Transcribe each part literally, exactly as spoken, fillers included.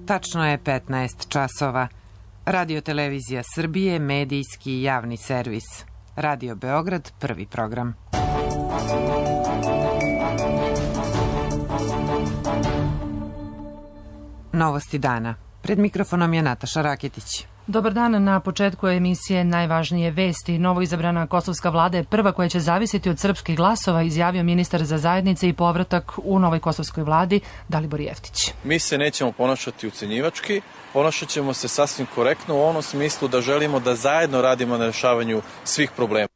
Tačno je petnaest časova. Radio Televizija Srbije, medijski javni servis. Radio Beograd, prvi program. Novosti dana. Pred mikrofonom je Nataša Raketić. Dobar dan, na početku emisije najvažnije vesti. Novoizabrana kosovska vlada je prva koja će zavisiti od srpskih glasova, izjavio ministar za zajednice i povratak u novoj kosovskoj vladi Dalibor Jeftić. Mi se nećemo ponašati ucenjivački, ponašat ćemo se sasvim korektno u onom smislu da želimo da zajedno radimo na rešavanju svih problema.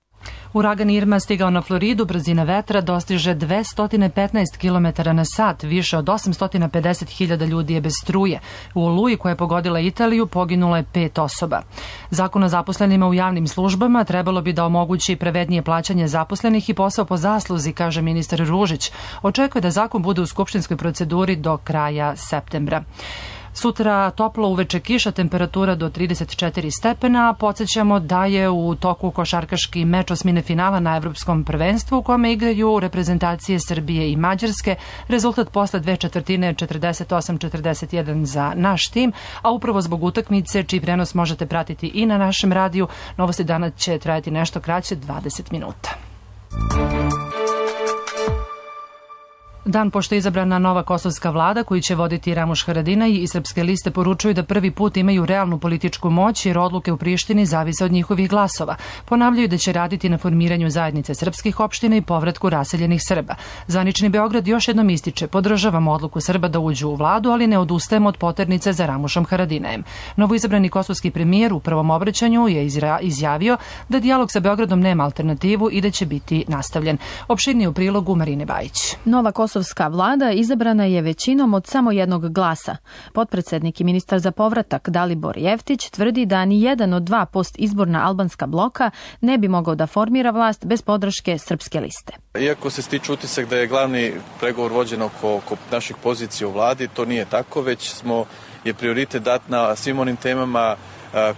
Uragan Irma stigao na Floridu, brzina vetra dostiže dvesta petnaest kilometara na sat, više od osamsto pedeset hiljada ljudi je bez struje. U oluji koja je pogodila Italiju poginulo je pet osoba. Zakon o zaposlenima u javnim službama trebalo bi da omogući pravednije plaćanje zaposlenih i posao po zasluzi, kaže ministar Ružić. Očekuje da zakon bude u skupštinskoj proceduri do kraja septembra. Sutra toplo, uveče kiša, temperatura do trideset četiri stepena. Podsjećamo da je u toku košarkaški meč osmine finala na Evropskom prvenstvu u kome igraju reprezentacije Srbije i Mađarske. Rezultat posle dve četvrtine četrdeset osam četrdeset jedan za naš tim, a upravo zbog utakmice čiji prenos možete pratiti i na našem radiju. Novosti dana će trajati nešto kraće, dvadeset minuta. Dan pošto je izabrana nova kosovska vlada koju će voditi Ramuš Haradinaj i Srpske liste poručuju da prvi put imaju realnu političku moć jer odluke u Prištini zavise od njihovih glasova. Ponavljaju da će raditi na formiranju zajednice srpskih opština i povratku raseljenih Srba. Zvanični Beograd još jednom ističe: podržavamo odluku Srba da uđu u vladu, ali ne odustajemo od poternice za Ramušom Haradinajem. Novoizabrani kosovski premijer u prvom obraćanju je izjavio da dijalog sa Beogradom nema alternativu i da će biti nastavljen. Opširnije u prilogu Marine Bajić. Nova kosovska vlada izabrana je većinom od samo jednog glasa. Potpredsednik i ministar za povratak Dalibor Jeftić tvrdi da ni jedan od dva postizborna albanska bloka ne bi mogao da formira vlast bez podrške Srpske liste. Iako se stiče utisak da je glavni pregovor vođen oko, oko naših pozicija u vladi, to nije tako, već smo je prioritet dat na svim onim temama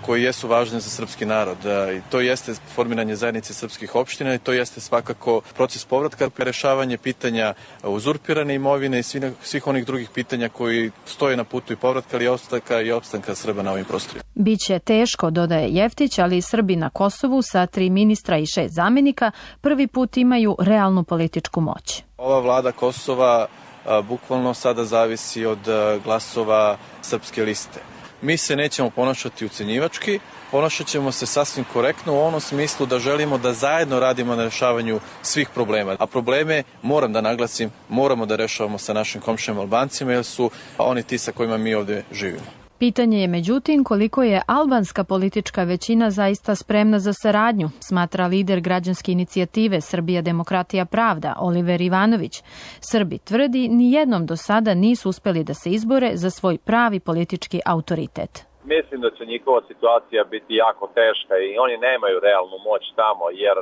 koji jesu važni za srpski narod. I to jeste formiranje zajednice srpskih opština i to jeste svakako proces povratka, rešavanje pitanja uzurpirane imovine i svih onih drugih pitanja koji stoje na putu i povratka, ali i opstanka i opstanka Srba na ovim prostorima. Biće teško, dodaje Jeftić, ali i Srbi na Kosovu sa tri ministra i šest zamenika prvi put imaju realnu političku moć. Ova vlada Kosova a, bukvalno sada zavisi od a, glasova Srpske liste. Mi se nećemo ponašati ucenjivački, ponašat ćemo se sasvim korektno u onom smislu da želimo da zajedno radimo na rešavanju svih problema. A probleme, moram da naglasim, moramo da rešavamo sa našim komšijama Albancima jer su oni ti sa kojima mi ovde živimo. Pitanje je međutim koliko je albanska politička većina zaista spremna za saradnju, smatra lider građanske inicijative Srbija demokratija pravda Oliver Ivanović. Srbi tvrdi ni jednom do sada nisu uspeli da se izbore za svoj pravi politički autoritet. Mislim da će njihova situacija biti jako teška i oni nemaju realnu moć tamo, jer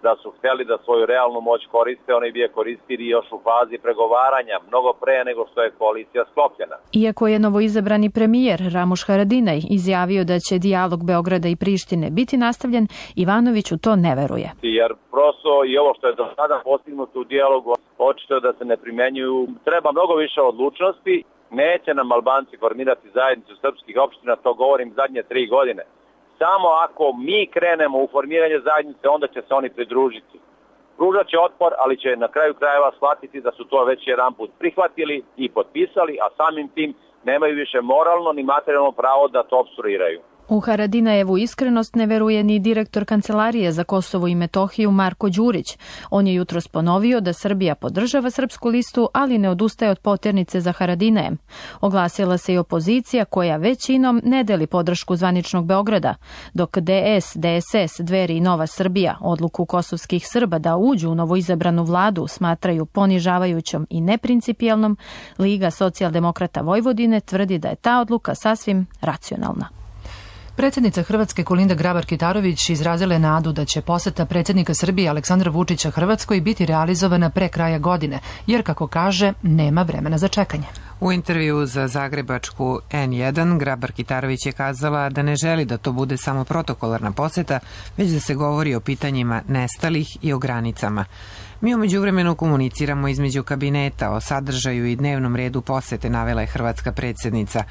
da su hteli da svoju realnu moć koriste, oni bi je koristili još u fazi pregovaranja, mnogo pre nego što je koalicija sklopljena. Iako je novoizabrani premijer Ramuš Haradinaj izjavio da će dijalog Beograda i Prištine biti nastavljen, Ivanović u to ne veruje. Jer prosto i ovo što je do sada postignuto u dijalogu, očito je da se ne primenjuju. Treba mnogo više odlučnosti. Neće nam Albanci formirati zajednicu srpskih opština, to govorim zadnje tri godine. Samo ako mi krenemo u formiranje zajednice, onda će se oni pridružiti. Pružat će otpor, ali će na kraju krajeva shvatiti da su to već jedan put prihvatili i potpisali, a samim tim nemaju više moralno ni materijalno pravo da to opstruiraju. U Haradinajevu iskrenost ne veruje ni direktor Kancelarije za Kosovo i Metohiju Marko Đurić. On je jutros ponovio da Srbija podržava Srpsku listu, ali ne odustaje od poternice za Haradinajem. Oglasila se i opozicija koja većinom ne deli podršku zvaničnog Beograda, dok D S, D S S, Dveri i Nova Srbija odluku kosovskih Srba da uđu u novoizabranu vladu smatraju ponižavajućom i neprincipijelnom. Liga socijaldemokrata Vojvodine tvrdi da je ta odluka sasvim racionalna. Predsjednica Hrvatske Kolinda Grabar-Kitarović izrazila je nadu da će poseta predsjednika Srbije Aleksandra Vučića Hrvatskoj biti realizovana pre kraja godine, jer, kako kaže, nema vremena za čekanje. U intervju za zagrebačku N jedan Grabar-Kitarović je kazala da ne želi da to bude samo protokolarna poseta, već da se govori o pitanjima nestalih i o granicama. Mi u međuvremenu komuniciramo između kabineta o sadržaju i dnevnom redu posete, navela je hrvatska predsjednica.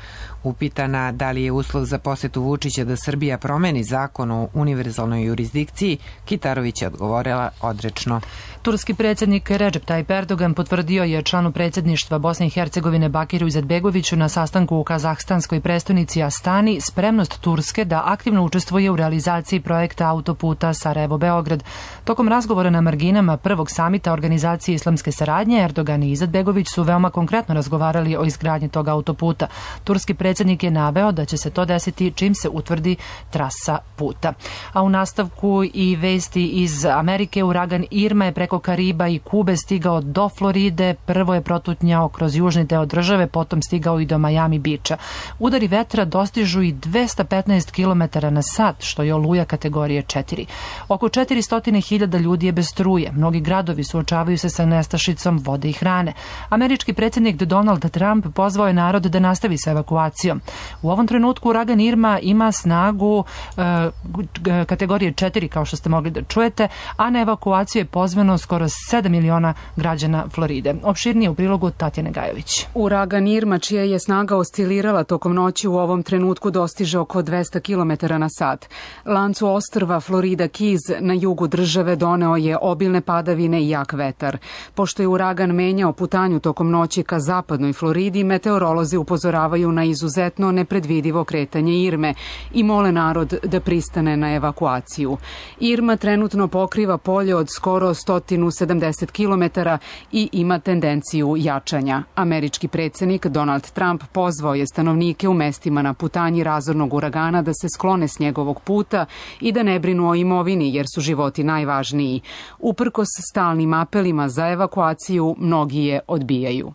Upitana da li je uslov za posetu Vučića da Srbija promeni zakon o univerzalnoj jurisdikciji, Kitarović je odgovorila odrečno. Turski predsjednik Recep Tayyip Erdogan potvrdio je članu predsjedništva Bosne i Hercegovine Bakiru Izetbegoviću na sastanku u kazahstanskoj prestonici Astani spremnost Turske da aktivno učestvuje u realizaciji projekta autoputa Sarajevo-Beograd. Tokom razgovora na marginama prvog samita Organizacije islamske saradnje, Erdogan i Izetbegović su veoma konkretno razgovarali o izgradnji tog autoputa. Turski predsjednik je naveo da će se to desiti čim se utvrdi trasa puta. A u nastavku i vesti iz Amerike, uragan Irma je preko Kariba i Kube stigao do Floride, prvo je protutnjao kroz južni deo države, potom stigao i do Miami Beacha. Udari vetra dostižu i dvesta petnaest kilometara na sat, što je oluja kategorije četiri. Oko četiristo hiljada ljudi je bez struje. Mnogi gradovi suočavaju se sa nestašicom vode i hrane. Američki predsjednik Donald Trump pozvao je narod da nastavi sa evakuacijom. U ovom trenutku uragan Irma ima snagu e, kategorije četiri, kao što ste mogli da čujete, a na evakuaciju je pozvano skoro sedam miliona građana Floride. Opširnije u prilogu Tatjane Gajović. Uragan Irma, čija je snaga oscilirala tokom noći, u ovom trenutku dostiže oko dvesta kilometara na sat. Lancu ostrva Florida Keys na jugu države doneo je obilne padavine i jak vetar. Pošto je uragan menjao putanju tokom noći ka zapadnoj Floridi, meteorolozi upozoravaju na izuzetno nepredvidivo kretanje Irme i mole narod da pristane na evakuaciju. Irma trenutno pokriva polje od skoro sto sedamdeset kilometara i ima tendenciju jačanja. Američki predsjednik Donald Trump pozvao je stanovnike u mestima na putanji razornog uragana da se sklone s njegovog puta i da ne brinu o imovini jer su životi najvažniji. Uprkos stalnim apelima za evakuaciju, mnogi je odbijaju.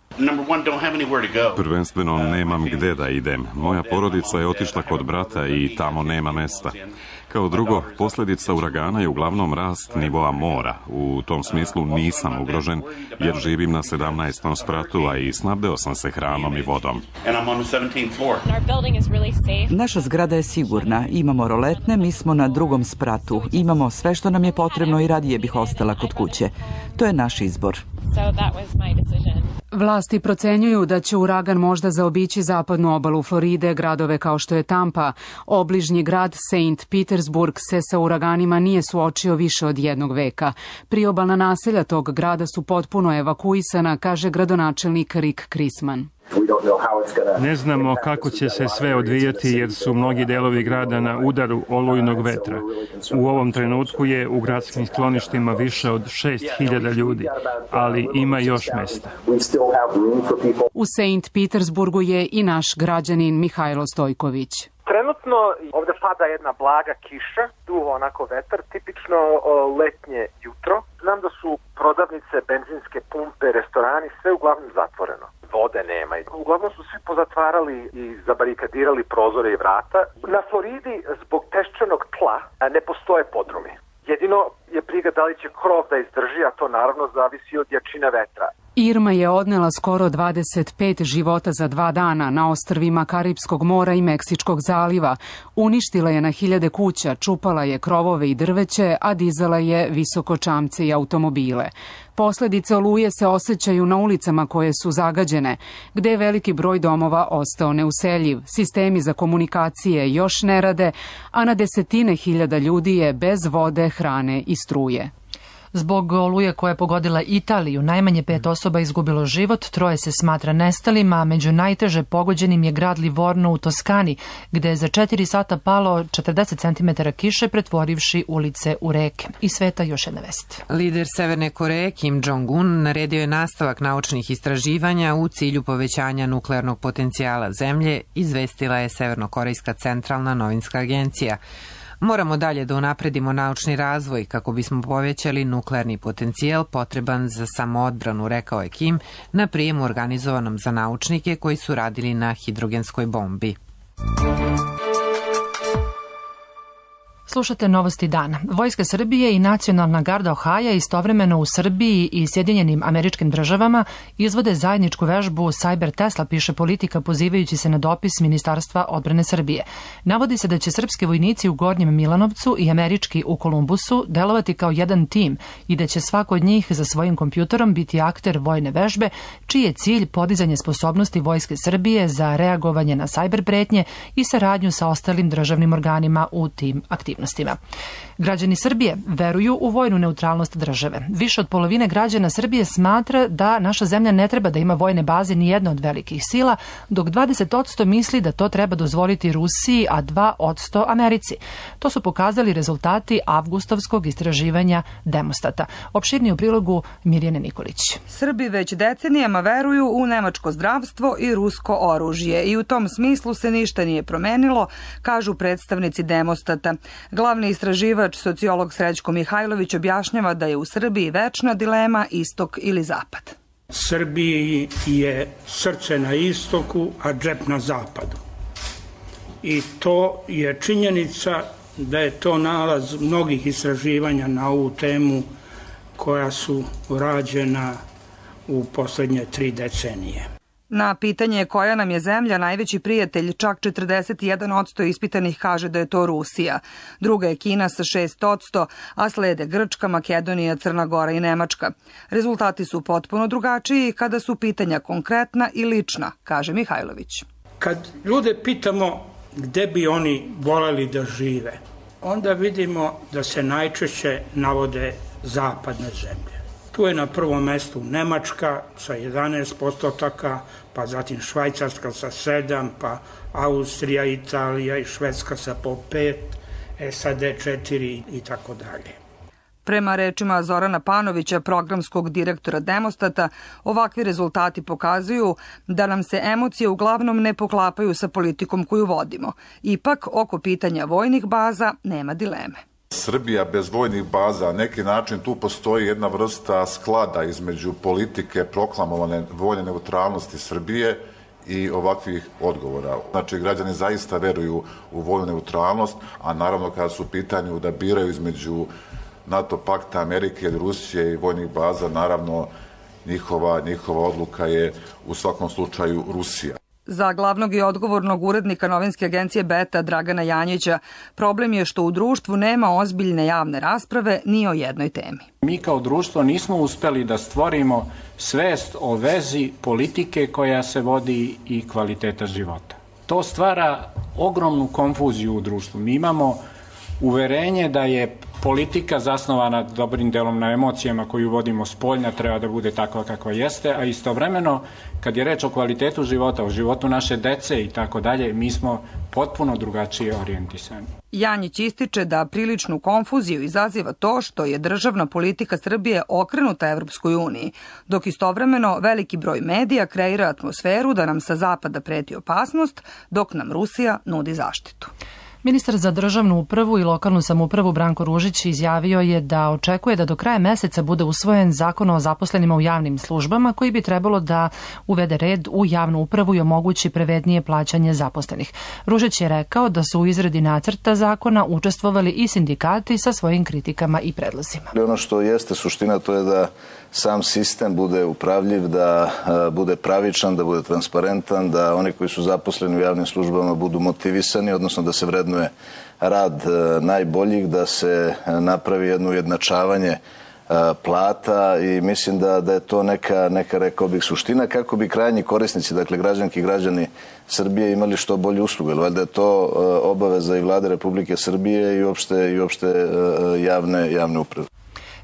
Prvenstveno nemam gde da idem. Moja porodica je otišla kod brata i tamo nema mesta. Kao drugo, posljedica uragana je uglavnom rast nivoa mora. U tom smislu nisam ugrožen jer živim na sedamnaestom spratu, a i snabdeo sam se hranom i vodom. Naša zgrada je sigurna. Imamo roletne, mi smo na drugom spratu. Imamo sve što nam je potrebno i radije bih ostala kod kuće. To je naš izbor. Vlasti procenjuju da će uragan možda zaobići zapadnu obalu Floride, gradove kao što je Tampa. Obližnji grad Saint Petersburg se sa uraganima nije suočio više od jednog veka. Priobalna naselja tog grada su potpuno evakuisana, kaže gradonačelnik Rick Chrisman. Ne znamo kako će se sve odvijati jer su mnogi delovi grada na udaru olujnog vetra. U ovom trenutku je u gradskim skloništima više od šest hiljada ljudi, ali ima još mesta. U Saint Petersburgu je i naš građanin Mihajlo Stojković. Trenutno ovde pada jedna blaga kiša, duvo onako vetar, tipično letnje jutro. Znam da su prodavnice, benzinske pumpe, restorani, sve uglavnom zatvoreno. Vode nema. Uglavnom su svi pozatvarali i zabarikadirali prozore i vrata. Na Floridi zbog peščanog tla ne postoje podrumi. Jedino je briga da li će krov da izdrži, a to naravno zavisi od jačine vetra. Irma je odnela skoro dvadeset pet života za dva dana na ostrvima Karipskog mora i Meksičkog zaliva. Uništila je na hiljade kuća, čupala je krovove i drveće, a dizala je visokočamce i automobile. Posledice oluje se osjećaju na ulicama koje su zagađene, gde je veliki broj domova ostao neuseljiv. Sistemi za komunikacije još ne rade, a na desetine hiljada ljudi je bez vode, hrane i struje. Zbog oluje koja je pogodila Italiju, najmanje pet osoba izgubilo život, troje se smatra nestalima, a među najteže pogođenim je grad Livorno u Toskani, gde je za četiri sata palo četrdeset centimetara kiše, pretvorivši ulice u reke. I sveta još jedna vest. Lider Severne Koreje Kim Jong-un naredio je nastavak naučnih istraživanja u cilju povećanja nuklearnog potencijala zemlje, izvestila je Severnokorejska centralna novinska agencija. Moramo dalje da unapredimo naučni razvoj kako bismo povećali nuklearni potencijal potreban za samoodbranu, rekao je Kim na prijemu organizovanom za naučnike koji su radili na hidrogenskoj bombi. Slušate Novosti dana. Vojska Srbije i Nacionalna garda Ohaja istovremeno u Srbiji i Sjedinjenim Američkim Državama izvode zajedničku vežbu Cyber Tesla, piše Politika pozivajući se na dopis Ministarstva odbrane Srbije. Navodi se da će srpski vojnici u Gornjem Milanovcu i američki u Kolumbusu delovati kao jedan tim i da će svako od njih za svojim kompjuterom biti akter vojne vežbe, čiji je cilj podizanje sposobnosti Vojske Srbije za reagovanje na cyber pretnje i saradnju sa ostalim državnim organima u tim aktivnostima. Građani Srbije veruju u vojnu neutralnost države. Više od polovine građana Srbije smatra da naša zemlja ne treba da ima vojne baze ni jedna od velikih sila, dok dvadeset posto misli da to treba dozvoliti Rusiji, a dva posto Americi. To su pokazali rezultati avgustovskog istraživanja Demostata. Opširnije u prilogu Mirjane Nikolić. Srbi već decenijama veruju u nemačko zdravstvo i rusko oružje i u tom smislu se ništa nije promenilo, kažu predstavnici Demostata. Glavni istraživač, sociolog Srećko Mihajlović, objašnjava da je u Srbiji večna dilema istok ili zapad. Srbiji je srce na istoku, a džep na zapadu. I to je činjenica da je to nalaz mnogih istraživanja na ovu temu koja su rađena u poslednje tri decenije. Na pitanje koja nam je zemlja najveći prijatelj, čak četrdeset jedan posto ispitanih kaže da je to Rusija. Druga je Kina sa šest posto, a slede Grčka, Makedonija, Crna Gora i Nemačka. Rezultati su potpuno drugačiji kada su pitanja konkretna i lična, kaže Mihajlović. Kad ljude pitamo gde bi oni voleli da žive, onda vidimo da se najčešće navode zapadne zemlje. Tu je na prvom mestu Nemačka sa jedanaest postotaka, pa zatim Švajcarska sa sedam, pa Austrija, Italija i Švedska sa po pet, S A D četiri i tako dalje. Prema rečima Zorana Panovića, programskog direktora Demostata, ovakvi rezultati pokazuju da nam se emocije uglavnom ne poklapaju sa politikom koju vodimo. Ipak, oko pitanja vojnih baza nema dileme. Srbija bez vojnih baza, na neki način tu postoji jedna vrsta sklada između politike proklamovane vojne neutralnosti Srbije i ovakvih odgovora. Znači, građani zaista veruju u vojnu neutralnost, a naravno kada su u pitanju da biraju između NATO pakta, Amerike ili Rusije i vojnih baza, naravno njihova, njihova odluka je u svakom slučaju Rusija. Za glavnog i odgovornog urednika novinske agencije Beta Dragana Janjića, problem je što u društvu nema ozbiljne javne rasprave ni o jednoj temi. Mi kao društvo nismo uspeli da stvorimo svest o vezi politike koja se vodi i kvaliteta života. To stvara ogromnu konfuziju u društvu. Mi imamo uverenje da je politika zasnovana dobrim delom na emocijama koju vodimo spoljna, treba da bude takva kakva jeste, a istovremeno kad je reč o kvalitetu života, o životu naše dece i tako dalje, mi smo potpuno drugačije orijentisani. Janjić ističe da priličnu konfuziju izaziva to što je državna politika Srbije okrenuta Evropskoj uniji, dok istovremeno veliki broj medija kreira atmosferu da nam sa zapada preti opasnost, dok nam Rusija nudi zaštitu. Ministar za državnu upravu i lokalnu samoupravu Branko Ružić izjavio je da očekuje da do kraja meseca bude usvojen zakon o zaposlenima u javnim službama koji bi trebalo da uvede red u javnu upravu i omogući pravednije plaćanje zaposlenih. Ružić je rekao da su u izradi nacrta zakona učestvovali i sindikati sa svojim kritikama i predlozima. Ono što jeste suština to je da sam sistem bude upravljiv, da bude pravičan, da bude transparentan, da oni koji su zaposleni u javnim službama budu motivisani, odnosno da se vrednuje rad najboljih, da se napravi jedno ujednačavanje plata i mislim da, da je to neka, neka, rekao bih, suština kako bi krajnji korisnici, dakle građanki i građani Srbije imali što bolje usluge. Valjda je to obaveza i Vlade Republike Srbije i uopšte, i uopšte javne, javne uprave.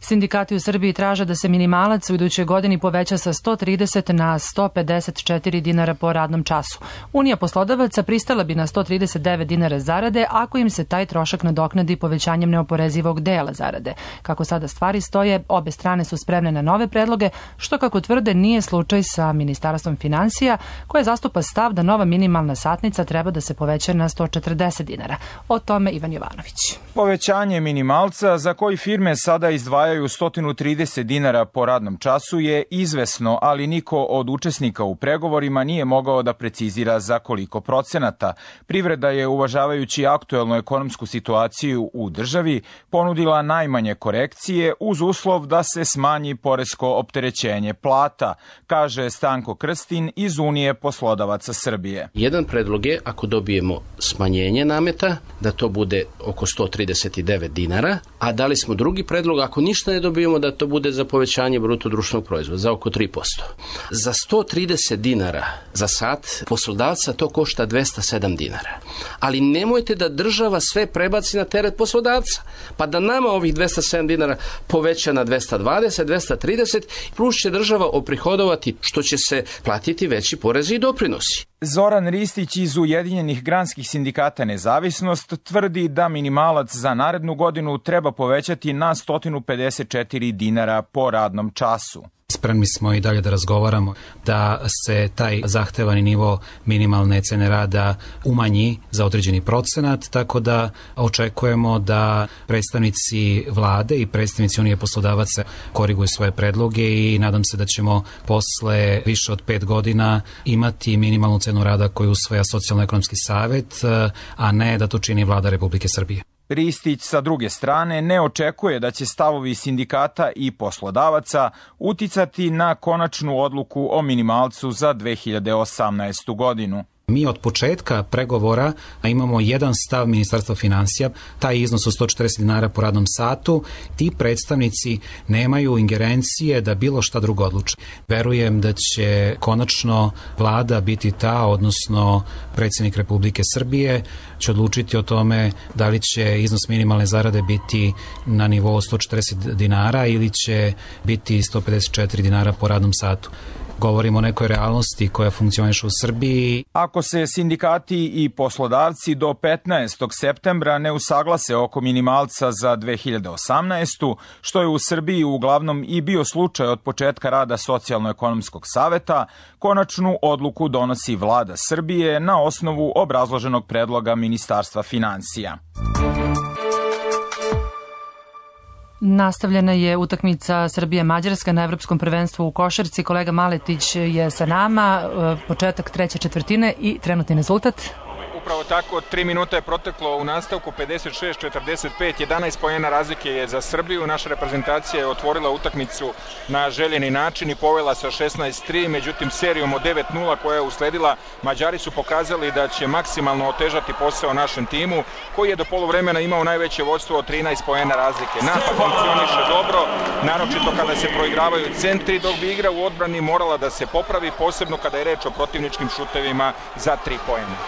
Sindikati u Srbiji traže da se minimalac u idućoj godini poveća sa sto trideset na sto pedeset četiri dinara po radnom času. Unija poslodavaca pristala bi na sto trideset devet dinara zarade ako im se taj trošak nadoknadi povećanjem neoporezivog dela zarade. Kako sada stvari stoje, obe strane su spremne na nove predloge, što kako tvrde nije slučaj sa Ministarstvom finansija, koje zastupa stav da nova minimalna satnica treba da se poveća na sto četrdeset dinara. O tome Ivan Jovanović. Povećanje minimalca za koji firme sada izdvajaju izdvajaju sto trideset dinara po radnom času je izvesno, ali niko od učesnika u pregovorima nije mogao da precizira za koliko procenata. Privreda je, uvažavajući aktuelnu ekonomsku situaciju u državi, ponudila najmanje korekcije uz uslov da se smanji poresko opterećenje plata, kaže Stanko Krstin iz Unije poslodavaca Srbije. Jedan predlog je, ako dobijemo smanjenje nameta, da to bude oko sto trideset devet dinara, a dali smo drugi predlog, ako ništa ne dobijemo, da to bude za povećanje bruto društvenog proizvoda, za oko tri posto. Za sto trideset dinara za sat poslodavca to košta dvesta sedam dinara. Ali nemojte da država sve prebaci na teret poslodavca, pa da nama ovih dvesta sedam dinara poveća na dvesta dvadeset, dvesta trideset, plus će država oprihodovati što će se platiti veći porezi i doprinosi. Zoran Ristić iz Ujedinjenih granskih sindikata Nezavisnost tvrdi da minimalac za narednu godinu treba povećati na sto pedeset četiri dinara po radnom času. Spremni smo i dalje da razgovaramo da se taj zahtevani nivo minimalne cene rada umanji za određeni procenat, tako da očekujemo da predstavnici vlade i predstavnici Unije poslodavaca koriguju svoje predloge i nadam se da ćemo posle više od pet godina imati minimalnu cenu rada koju usvaja Socijalno-ekonomski savet, a ne da to čini vlada Republike Srbije. Ristić sa druge strane ne očekuje da će stavovi sindikata i poslodavaca uticati na konačnu odluku o minimalcu za dve hiljade osamnaestu godinu. Mi od početka pregovora imamo jedan stav Ministarstva finansija, taj iznos od sto četrdeset dinara po radnom satu. Ti predstavnici nemaju ingerencije da bilo šta drugo odluče. Verujem da će konačno vlada biti ta, odnosno predsjednik Republike Srbije, će odlučiti o tome da li će iznos minimalne zarade biti na nivou sto četrdeset dinara ili će biti sto pedeset četiri dinara po radnom satu. Govorimo o nekoj realnosti koja funkcioniše u Srbiji. Ako se sindikati i poslodavci do petnaestog septembra ne usaglase oko minimalca za dve hiljade osamnaestu, što je u Srbiji uglavnom i bio slučaj od početka rada Socijalno-ekonomskog saveta, konačnu odluku donosi vlada Srbije na osnovu obrazloženog predloga Ministarstva finansija. Nastavljena je utakmica Srbije-Mađarska na Evropskom prvenstvu u košarci. Kolega Maletić je sa nama, početak treće četvrtine i trenutni rezultat. Upravo tako, tri minuta je proteklo u nastavku, pedeset šest četrdeset pet, jedanaest poena razlike je za Srbiju. Naša reprezentacija je otvorila utakmicu na željeni način i povela sa šesnaest tri, međutim serijom od devet nula koja je usledila, Mađari su pokazali da će maksimalno otežati posao našem timu, koji je do poluvremena imao najveće vodstvo od trinaest poena razlike. Napad funkcioniše dobro, naročito kada se proigravaju centri, dok bi igra u odbrani morala da se popravi, posebno kada je reč o protivničkim šutevima za tri poena.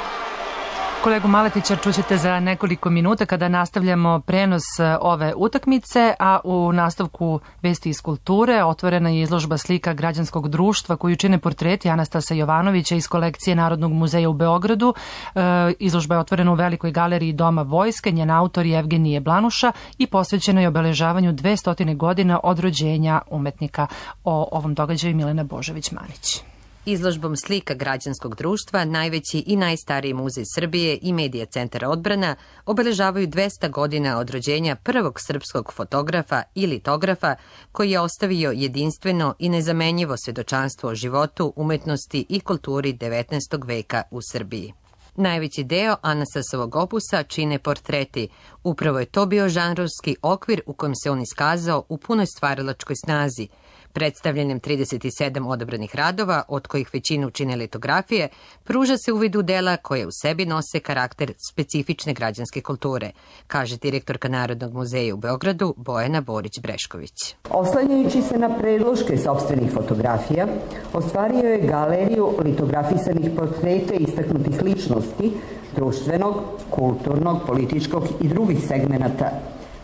Kolegu Maletića čućete za nekoliko minuta kada nastavljamo prenos ove utakmice, a u nastavku vesti iz kulture otvorena je izložba slika građanskog društva koju čine portreti Anastasa Jovanovića iz kolekcije Narodnog muzeja u Beogradu. E, izložba je otvorena u Velikoj galeriji Doma vojske, njen autor je Evgenije Blanuša i posvećena je obeležavanju dvesta godina od rođenja umetnika. O ovom događaju Milena Božović-Manić. Izložbom slika građanskog društva, najveći i najstariji muzej Srbije i Medija centar Odbrana obeležavaju dvesta godina od rođenja prvog srpskog fotografa i litografa koji je ostavio jedinstveno i nezamenjivo svedočanstvo o životu, umetnosti i kulturi devetnaestog veka u Srbiji. Najveći deo Anastasovog opusa čine portreti. Upravo je to bio žanrovski okvir u kojem se on iskazao u punoj stvaralačkoj snazi. Predstavljanjem trideset sedam odabranih radova, od kojih većinu čine litografije, pruža se uvid u dela koje u sebi nose karakter specifične građanske kulture, kaže direktorka Narodnog muzeja u Beogradu Bojana Borić-Brešković. Oslanjajući se na predloške sopstvenih fotografija, ostvario je galeriju litografisanih portreta istaknutih ličnosti društvenog, kulturnog, političkog i drugih segmenata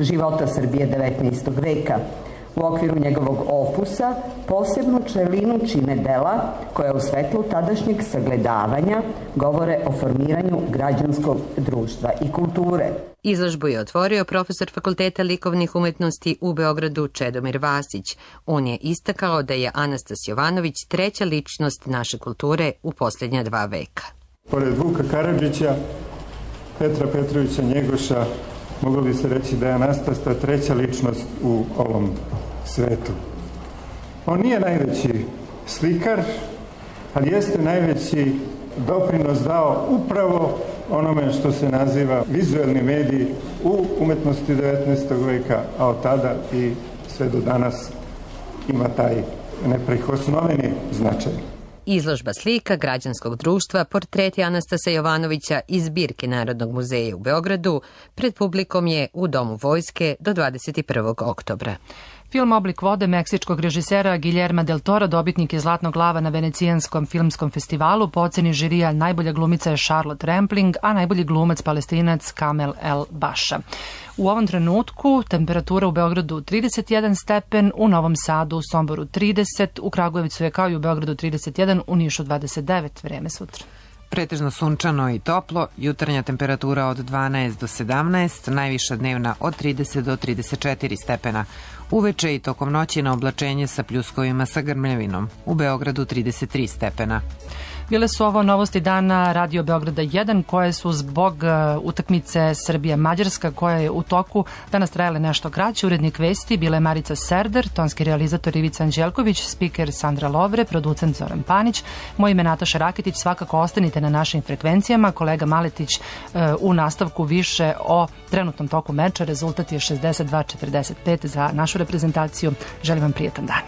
života Srbije devetnaestog veka. U okviru njegovog opusa posebnu čelinu čine dela koja u svetlu tadašnjeg sagledavanja govore o formiranju građanskog društva i kulture. Izložbu je otvorio profesor Fakulteta likovnih umetnosti u Beogradu Čedomir Vasić. On je istakao da je Anastas Jovanović treća ličnost naše kulture u posljednja dva veka. Pored Vuka Karadžića, Petra Petrovića Njegoša moglo bi se reći da je Anastasta treća ličnost u ovom svetu. On nije najveći slikar, ali jeste najveći doprinos dao upravo onome što se naziva vizuelni mediji u umetnosti devetnaestog veka, a od tada i sve do danas ima taj neprikosnoveni značaj. Izložba slika građanskog društva Portreti Anastasa Jovanovića iz zbirke Narodnog muzeja u Beogradu pred publikom je u Domu vojske do dvadeset prvog oktobra. Film Oblik vode meksičkog režisera Guillerma del Tora dobitnik je Zlatnog lava na Venecijanskom filmskom festivalu. Po oceni žirija najbolja glumica je Charlotte Rampling, a najbolji glumac Palestinac Kamel El Baša. U ovom trenutku temperatura u Beogradu trideset jedan stepen, u Novom Sadu, u Somboru trideset, u Kragujevcu je kao i u Beogradu trideset jedan, u Nišu dvadeset devet, vreme sutra. Pretežno sunčano i toplo, jutarnja temperatura od dvanaest do sedamnaest, najviša dnevna od trideset do trideset četiri stepena. Uveče i tokom noći na oblačenje sa pljuskovima sa grmljavinom. U Beogradu trideset tri stepena. Bile su ovo novosti dana Radio Beograda jedan koje su zbog uh, utakmice Srbija-Mađarska koja je u toku danas trajale nešto kraće. Urednik vesti bila je Marica Serder, tonski realizator Ivica Anđelković, spiker Sandra Lovre, producent Zoran Panić. Moje ime Nataša Raketić, svakako ostanite na našim frekvencijama. Kolega Maletić uh, u nastavku više o trenutnom toku meča. Rezultat je šezdeset dva četrdeset pet za našu reprezentaciju. Želim vam prijetan dan.